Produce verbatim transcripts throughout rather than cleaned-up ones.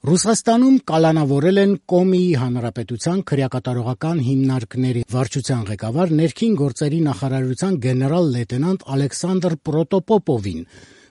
Ռուսաստանում կալանավորել են Կոմիի հանրապետության քրեակատարողական հիմնարկների վարչության ղեկավար ներքին գործերի նախարարության գեներալ լեյտենանտ Ալեքսանդր Պրոտոպոպովին։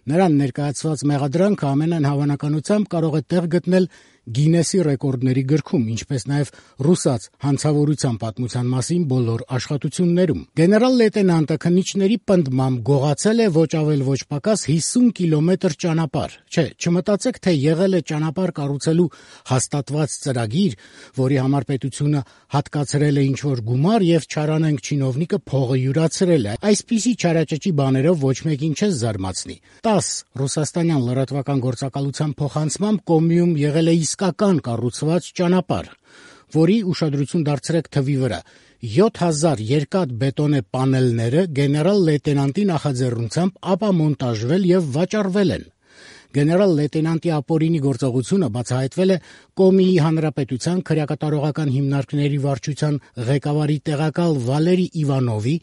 Նրան ներկայացված մեղադրանքը ամենայն հավանականությամբ կարող է տեղ գտնել Գինեսի ռեկորդների գրքում, ինչպես նաև ռուսաց հանցավորության պատմության մասին բոլոր աշխատություններում։ Գեներալ լեյտենանտը քննիչների պնդմամբ գողացել է ոչ ավել ոչ պակաս հիսուն կիլոմետր ճանապարհ։ Չէ, չմտածեք, թե եղել է ճանապարհ կառուցելու հաստատված ծրագիր, որի համար պետությունը հատկացրել է ինչ-որ գումար եւ չարանենգ չինովնիկը փողը յուրացրել է։ Այսպիսի չարաճճի բաներով ոչ մեկին չես զարմացնի։ տաս ռուսաստանյան լրատվական գործակալության փոխանցմամբ Կոմիում եղել է իսկական կառուցված ճանապարհ, որի ուշադրություն դարձրեք թվի վրա։ յոթ հազար երկաթ բետոնե պանելները գեներալ լեյտենանտի նախաձեռնությամբ ապամոնտաժվել եւ վաճառվել են։ Գեներալ լեյտենանտի ապօրինի գործողությունը բացահայտվել է Կոմիի հանրապետության քրեակատարողական հիմնարկների վարչության ղեկավարի տեղակալ Վալերի Իվանովի,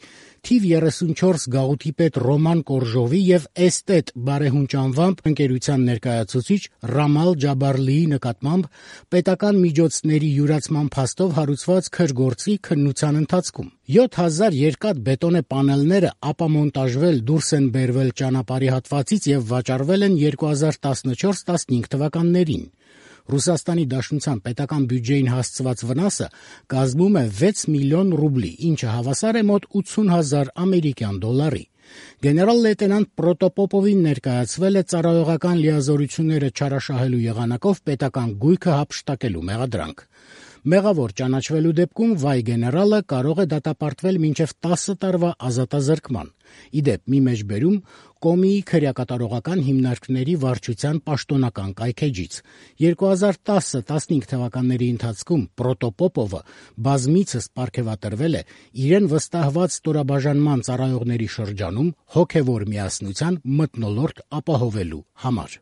թիվ երեսունչորս գաղութի պետ Ռոման Կորժովի եւ էստետ բարեհունչ անվամբ ընկերության ներկայացուցիչ Ռամալ Ջաբարլիի նկատմամբ պետական միջոցների յուրացման փաստով հարուցված քրգործի քննության ընթացքում։ յոթ հազար երկաթ բետոնե պանելները ապամոնտաժվել դուրս են բերվել ճանապարհի հատվածից եւ վաճառվել են երկու հազար տասնչորս տասնհինգ թվականներին։ Ռուսաստանի Դաշնության պետական բյուջեին հասցված վնասը կազմում է վեց միլիոն ռուբլի, ինչը հավասար է մոտ ութսուն հազար ամերիկյան դոլարի։ Գեներալ լեյտենանտ Պրոտոպոպովին ներկայացվել է ծառայողական լիազորությունները չարաշահելու եղանակով պետական գույքը հափշտակելու մեղադրանք։ Մեղավոր ճանաչվելու դեպքում վայ գեներալը կարող է դատապարտվել մինչև տասը տարվա ազատազրկման։ Ի դեպ, մի մեջբերում Կոմիի քրեակատարողական հիմնարկների վարչության պաշտոնական կայքէջից։ երկու հազար տասը տասնհինգ թվականների ընթացքում Պրոտոպոպովը բազմիցս պարգևատրվել է իրեն վստահված ստորաբաժանման ծառայողների շրջանում հոգևոր միասնության մթնոլորտ ապահովելու համար։